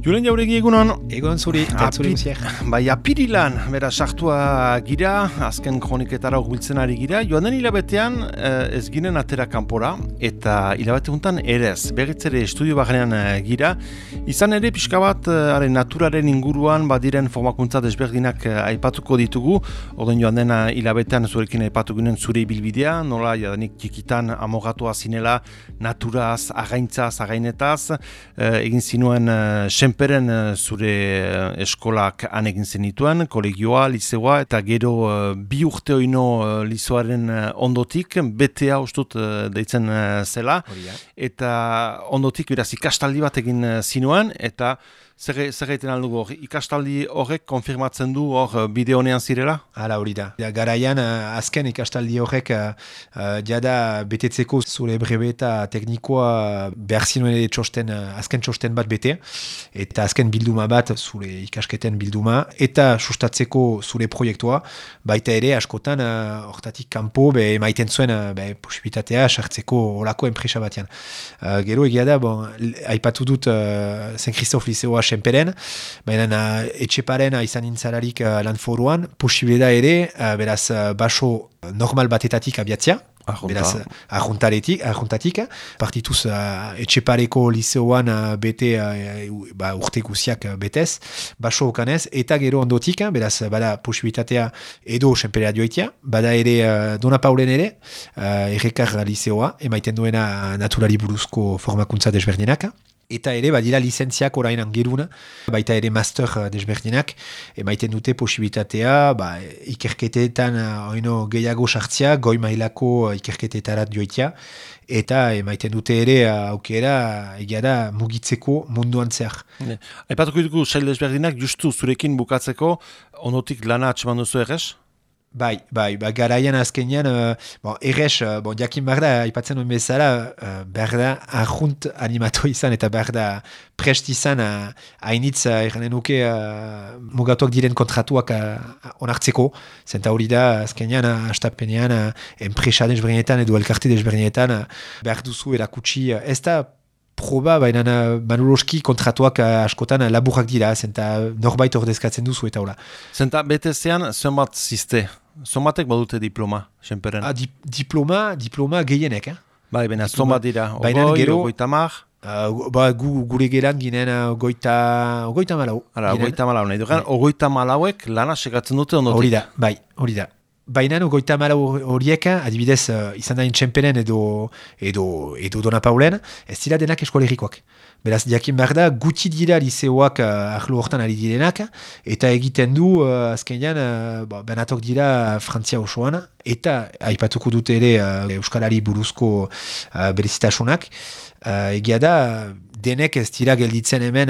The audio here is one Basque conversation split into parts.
Julen Jauregi egunon. Egon zuri, eta zuri guziak. Bai, apirilan, bera, sartua gira, azken kroniketara urbiltzen ari gira. Joan den hilabetean ez ginen atera kanpora, eta hilabete hontan erez. Berriz ere estudio bagenean gira. Izan ere, pixka bat, naturaren inguruan, badiren formakuntza desberdinak aipatuko ditugu. Orden joan den hilabetean zurekin aipatu ginen zure ibilbidea, nola, jadanik txikitan amogatua zinela, naturaz, againetaz, egin zinuen senperen zure eskolak han egin zenituen, kolegioa, lizeoa, eta gero 2 urte oino lizoaren ondotik, BTA ustut deitzen zela, eta ondotik beraz ikastaldi bat egin zinuen, eta zer egiten aldugu hor? Ikastaldi horrek konfirmatzen du hor bide honean zirela? Hala hori da. Garaian azken ikastaldi horrek jada betetzeko zure brebeta teknikoa behar zinuen azken txosten bat bete, eta azken bilduma bat zure ikasketen bilduma, eta sustatzeko zure proiektua, baita ere askotan hortatik kanpo emaiten zuen posibitatea sartzeko olako enpresa batean. Gero egia da, aipatu dut Saint Christophe Liceoa senperen, baina etxeparen izan nintzalarik lan foruan, posible da ere, beraz, baso normal batetatik abiatzea, beraz, arjuntatik, partituz etxepareko liceoan bete urte guziak betez, baso okanez, eta gero ondotik, beraz, bada posibilitatea edo senperea joitea, bada ere Dona Paulen ere, errekar liceoa, emaiten duena naturari buruzko formakuntza desberdinak, eta ere badira lizentziak orain angeruna, baita ere master desberdinak, emaiten dute posibilitatea, ikerketetan oino gehiago sartzea, goi mailako ikerketetarat joitea, eta emaiten dute ere aukera egia da mugitzeko munduan zehar. Aipatuko dugu sail desberdinak, justu zurekin bukatzeko, ondotik lana atseman duzu errez? Bai, garaian azkenean, errez, jakin behar da, aipatzen duen bezala, behar da, arjunt animato izan, eta behar da, prest izan, hainitz, erranen nuke, mugatuak diren kontratuak onartzeko, zenta hori da, azkenean, astapenean, enpresa desberdinetan, edo elkarte desberdinetan, behar duzu erakutsi, ez da, proba, baina manuloski kontratuak askotan laburrak dira, zenta norbait ordezkatzen duzu eta hola. Zenta BTZ-an zenbat ziste? Zenbatek badute diploma, senperen? Diploma gehienek, Bai, baina zenbat dira? Ogoita mar? Gure geran ginen ogoita malau. Ogoita malau, nahi dugan, ogoita malauek lana sekatzen dute ondotik. Hori da. Baina goita malau horiek, adibidez, izan dain txemperen edo Dona Paulen, ez dira denak eskolerikoak. Beraz, jakin behar da, guti dira liceoak ahlo hortan ari direnak, eta egiten du, azkenean, benatok dira Frantzia osoan, eta aipatuko dute ere Euskalari buruzko berezitasunak, egia da, denek ez dira gelditzen hemen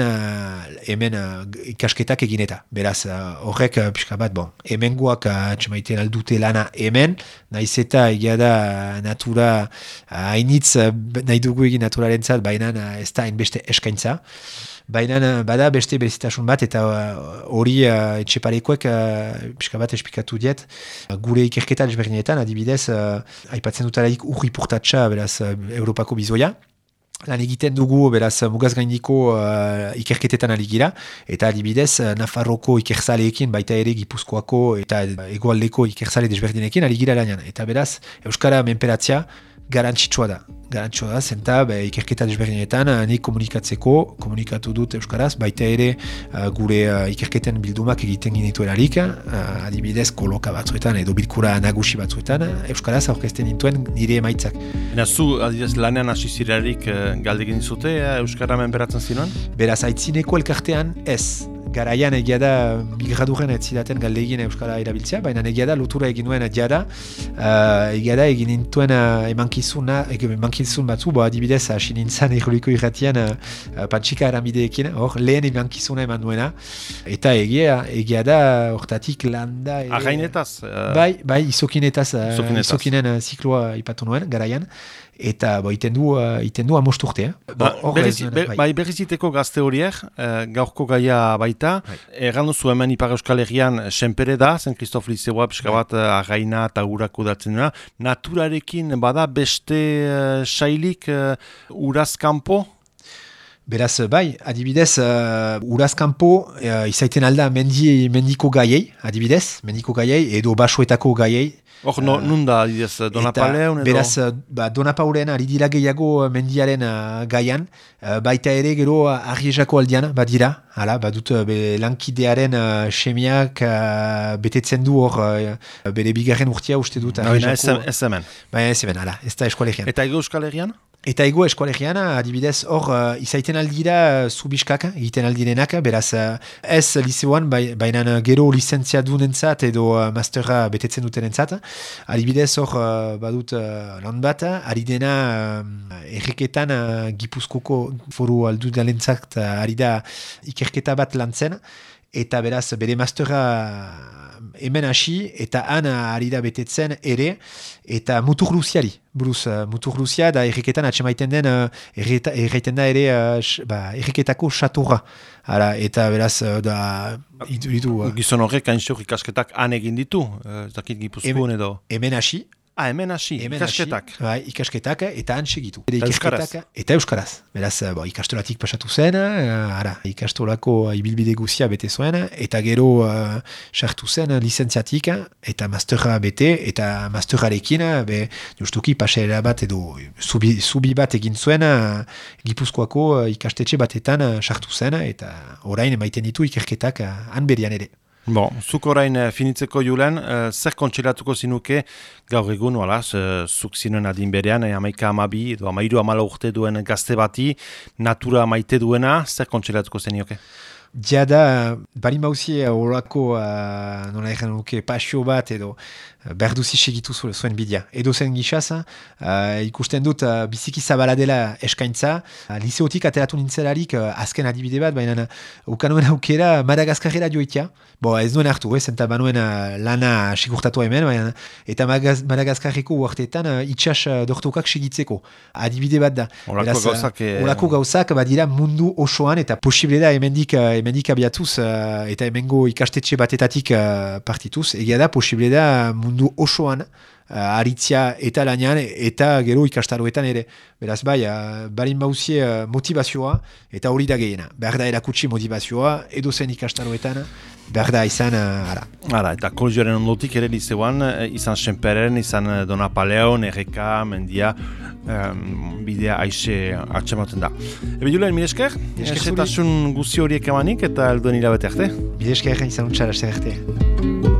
ikasketak egineta. Beraz, horrek pixka bat, hemengoak atxemaiten aldute lana hemen, nahiz eta egia da natura hainitz nahi dugu egin naturarentzat, baina ez da hainbeste eskaintza. Baina bada beste berezitasun bat, eta hori etxeparekoek pixka bat esplikatu diet. Gure ikerketa desberdinetan, adibidez, aipatzen dutaraik urri portatxa, beraz, Europako bizoia. Lan egiten dugu, beraz, mugaz gaindiko ikerketetan aligira, eta adibidez, Nafarroko ikerzaleekin, baita ere Gipuzkoako eta Hegoaldeko ikerzale desberdinekin aligira lanean. Eta beraz, Euskara menperatzea garantzitsua da, zenta ikerketa desberdinetan nik komunikatu dut Euskaraz, baita ere gure ikerketen bildumak egiten ginituelarik, adibidez koloka batzuetan edo bilkura nagusi batzuetan, Euskaraz aurkezten dituen nire emaitzak. Zu, adibidez, lanean hasi zirarik galdegin dizute, Euskara menperatzen zinuen? Beraz, aitzineko elkartean ez. Garaian egia da migraduren ez zidaten galdegin Euskara erabiltzea, baina egia da lotura egin nuen egia da egin nintuen emankizun batzu, adibidez hasi nintzen Erroliko irratian Pantxika Aramideekin, hor lehen emankizuna eman duena, eta egia da hortatik landa... Againetaz? Bai, izokinen zikloa ipatu nuen, garaian, eta iten du amost urte. Berriziteko gazte horiek, gaurko gaia baita. Erran duzu hemen Ipar Euskal Herrian senpere da, zen Kristof Lizeoa pixka bat arraina eta urako datzen dena. Naturarekin bada beste sailik urazkanpo? Beraz, bai, adibidez, urazkanpo izaiten alda mendiko gaiei, adibidez, mendiko gaiei edo basoetako gaiei. Hor, nun da, adibidez, Donapaleun edo? Beraz, Donapaulean ari dira gehiago mendiaren gaian, baita ere gero Arriezako aldian, badira, badut lankidearen semiak betetzen du hor, bere bigarren urtea uste dut Arriezako. Ez hemen. Baina ez hemen, ez da Eskoalegian. Eta Ego Euskal Herrian? Eta Ego Eskoalegian, adibidez, hor izaiten aldira zubiskak, egiten aldirenak, beraz ez liceoan, baina gero lizentzia dunentzat edo mastera betetzen dutenentzat. Adibidez, hor badut lan bat, ari dena erreketan Gipuzkoko foru aldudalentzat ari da ikerketa bat lantzen, eta beraz bere mastera hemen hasi eta han ari da betetzen ere, eta mutur luziari. Buruz, mutur luzia da erreketan atxemaiten den erreiten da ere erreketako xatorra. Eta beraz da gizon horrek hainzor ikasketak han egin ditu, ez dakit Gipuzkoan edo. Hemen hasi. Hemen hasi, ikasketak. Ikasketak eta han segitu. Euskaraz. Eta euskaraz. Beraz, ikastolatik pasatu zen, ikastolako ibilbide guzia bete zuen, eta gero sartu zen lizentziatik, eta mastera bete, eta masterarekin, justuki pasera bat edo zubi bat egin zuen, Gipuzkoako ikastetxe batetan sartu zen, eta orain emaiten ditu ikerketak han berian ere. Bon, zuk orain finitzeko julen, zer kontsilatuko zinuke gaur egun, zuk zinuen adin berean, 11-12 edo 13-14 urte duen gazte bati, natura maite duena, zer kontsilatuko zenioke? Jada, bari mauzie horako, nola egin nuke, pasio bat edo berduzi segitu zuen bidea. Edo zen gixaz, ikusten dut biziki zabala dela eskaintza. Liceotik ateratu nintzelarik azken adibide bat, baina ukanuen aukera Madagaskarera joitea. Ez duen hartu, zenta banuen lana sigurtatu hemen, baina, eta Madagaskarreko uartetan itxas dortokak segitzeko. Adibide bat da. Olako gauzak badira mundu osoan, eta posible da hemendik abiatuz, eta hemengo ikastetxe batetatik partituz, egia da posible da mundu osoan aritzia eta lanean eta gero ikastaroetan ere. Beraz barin bauzie motivazioa eta hori da gehiena. Behar da erakutsi motivazioa edo zen ikastaroetan, behar da izan eta kolegioaren ondotik ere liceoan, izan Senperen, izan Donapaleon, Erreka, Mendia, bidea aixe atxematen da. Julen, mire esker? Esetasun guzi horiek emanik eta elduen hilabete arte? Mire esker, izan untxara arte.